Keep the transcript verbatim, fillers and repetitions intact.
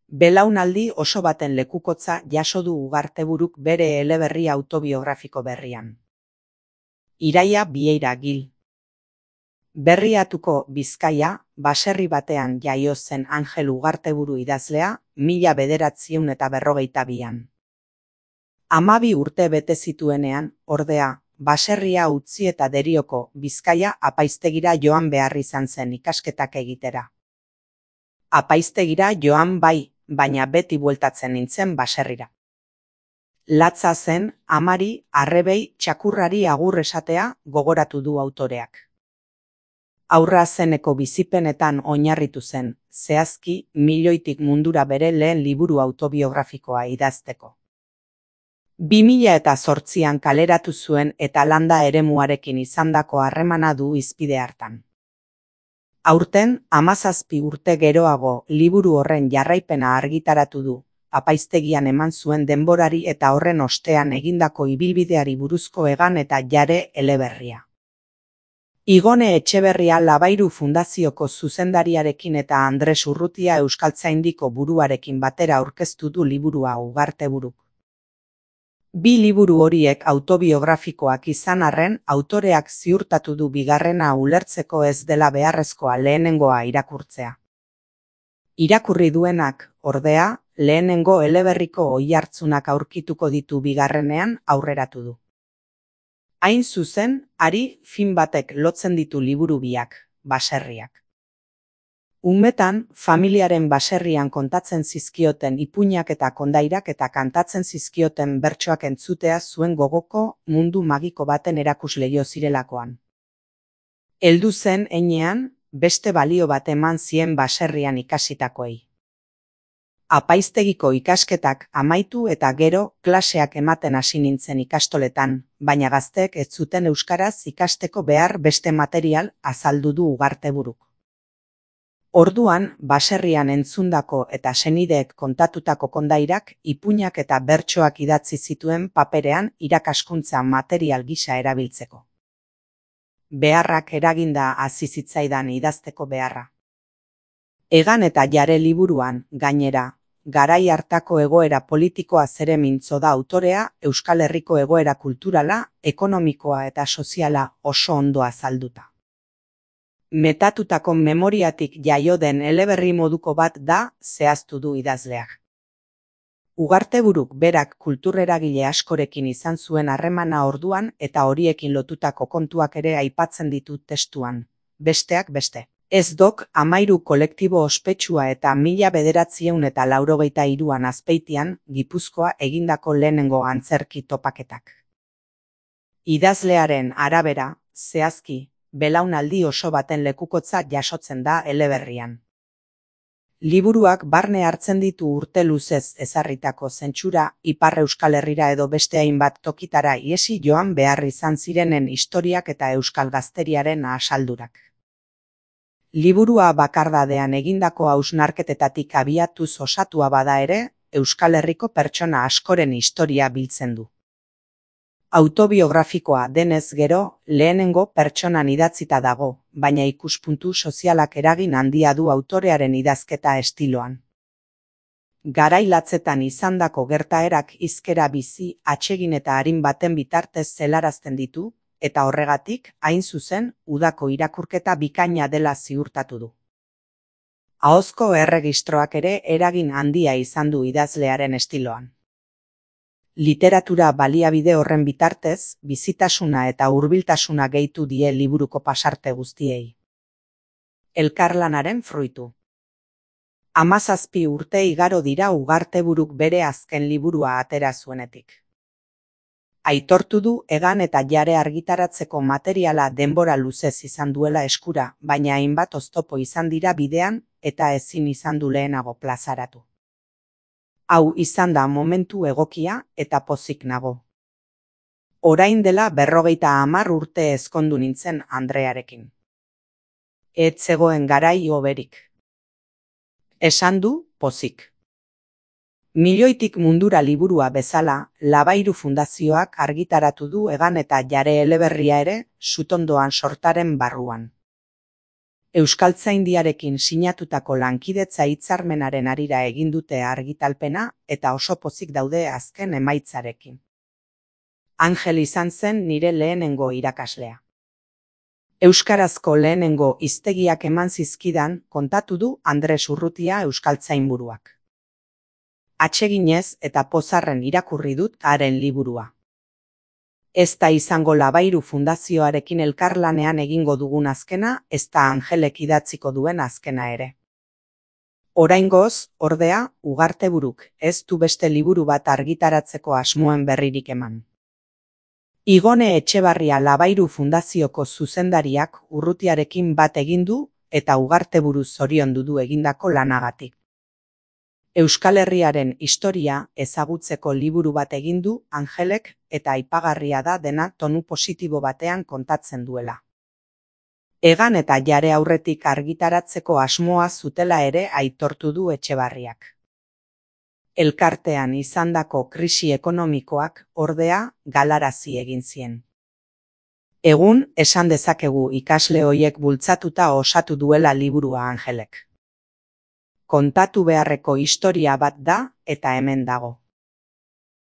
Belaunaldi oso baten lekukotza jaso du Ugarteburuk bere eleberri autobiografiko berrian. Iraia Vieira Gil. Berriatuko Bizkaia, baserri batean jaio zen Anjel Ugarteburu idazlea, mila bederatziehun eta berrogeita bian. Hamabi urte bete zituenean, ordea, baserria utzi eta Derioko, Bizkaia apaiztegira joan behar izan zen ikasketak egitera. Apaiztegira joan bai, baina beti bueltatzen nintzen baserrira. Latza zen, amari, arrebei, txakurrari agur esatea gogoratu du autoreak. Aurra zeneko bizipenetan oinarritu zen, zehazki, milioitik mundura bere lehen liburu autobiografikoa idazteko. Bi mila eta zortzian kaleratu zuen eta landa eremuarekin izandako harremana du hizpide hartan. Aurten, hamazazpi urte geroago liburu horren jarraipena argitaratu du, apaiztegian eman zuen denborari eta horren ostean egindako ibilbideari buruzko egan eta jare eleberria. Igone Etxeberria Labairu Fundazioko zuzendariarekin eta Andres Urrutia Euskaltzaindiko buruarekin batera aurkeztu du liburua Ugarteburuk. Bi liburu horiek autobiografikoak izan arren, autoreak ziurtatu du bigarrena ulertzeko ez dela beharrezkoa lehenengoa irakurtzea. Irakurri duenak, ordea, lehenengo eleberriko oihartzunak aurkituko ditu bigarrenean aurreratu du. Hain zuzen, hari fin batek lotzen ditu liburu biak, baserriak. Umetan, familiaren baserrian kontatzen zizkioten ipuinak eta kondairak eta kantatzen zizkioten bertsoak entzutea zuen gogoko mundu magiko baten erakusleio zirelakoan. Heldu zen heinean, beste balio bat eman zien baserrian ikasitakoei. Apaiztegiko ikasketak amaitu eta gero klaseak ematen hasi nintzen ikastoletan, baina gazteek ez zuten euskaraz ikasteko behar beste material azaldu du Ugarteburuk. Orduan, baserrian entzundako eta senideek kontatutako kondairak, ipuinak eta bertsoak idatzi zituen paperean irakaskuntza material gisa erabiltzeko. Beharrak eraginda hasi zitzaidan idazteko beharra. Egan eta jare liburuan, gainera, garai hartako egoera politikoa zere mintzo da autorea, Euskal Herriko egoera kulturala, ekonomikoa eta soziala oso ondo azalduta. Metatutako memoriatik jaio den eleberri moduko bat da, zehaztu du idazleak. Ugarteburuk berak kultureragile askorekin izan zuen harremana orduan eta horiekin lotutako kontuak ere aipatzen ditu testuan, besteak beste. Ez dok amairu kolektibo ospetsua eta mila bederatziehun eta laurogeita hiruan Azpeitian, Gipuzkoa egindako lehenengo antzerki topaketak. Idazlearen arabera, zehazki, belaunaldi oso baten lekukotza jasotzen da eleberrian. Liburuak barne hartzen ditu urte luzez ezarritako zentsura, Ipar Euskal Herrira edo beste hainbat tokitara iesi joan behar izan zirenen historiak eta euskal gazteriaren asaldurak. Liburua bakardadean egindako hausnarketetatik abiatuz osatua bada ere, Euskal Herriko pertsona askoren historia biltzen du. Autobiografikoa denez gero, lehenengo pertsonan idatzita dago, baina ikuspuntu sozialak eragin handia du autorearen idazketa estiloan. Garai latzetan izandako gertaerak hizkera bizi, atsegin eta arin baten bitartez zelarazten ditu, eta horregatik, hain zuzen, udako irakurketa bikaina dela ziurtatu du. Ahozko erregistroak ere eragin handia izan du idazlearen estiloan. Literatura baliabide horren bitartez, bizitasuna eta hurbiltasuna gehitu die liburuko pasarte guztiei. Elkarlanaren fruitu. Hamazazpi urte igaro dira Ugarteburuk bere azken liburua atera zuenetik. Aitortu du egan eta jare argitaratzeko materiala denbora luzez izan duela eskura, baina hainbat oztopo izan dira bidean eta ezin izan du lehenago plazaratu. Hau izan da momentu egokia eta pozik nago. Orain dela berrogeita hamar urte ezkondu nintzen Andrearekin. Ez zegoen garai hoberik. Esan du pozik. Milioitik mundura liburua bezala, Labairu Fundazioak argitaratu du egan eta jare eleberria ere, Sutondoan sortaren barruan. Euskaltzaindiarekin sinatutako lankidetza hitzarmenaren harira egin dute argitalpena eta oso pozik daude azken emaitzarekin. Angel izan zen nire lehenengo irakaslea. Euskarazko lehenengo hiztegiak eman zizkidan kontatu du Andres Urrutia euskaltzainburuak. Atseginez eta pozarren irakurri dut haren liburua. Ez da izango Labairu Fundazioarekin elkarlanean egingo dugun azkena, ez da Angelek idatziko duen azkena ere. Oraingoz, ordea, Ugarteburuk ez du beste liburu bat argitaratzeko asmoen berririk eman. Igone Etxebarria Labairu Fundazioko zuzendariak Urrutiarekin bat egin du eta Ugarteburu zoriondu du egindako lanagatik. Euskal Herriaren historia ezagutzeko liburu bat egin du Angelek eta aipagarria da dena tonu positibo batean kontatzen duela. Egan eta Jare aurretik argitaratzeko asmoa zutela ere aitortu du Etxebarriak. Elkartean izandako krisi ekonomikoak ordea galarazi egin zien. Egun esan dezakegu ikasle hoiek bultzatuta osatu duela liburua Angelek. Kontatu beharreko historia bat da eta hemen dago.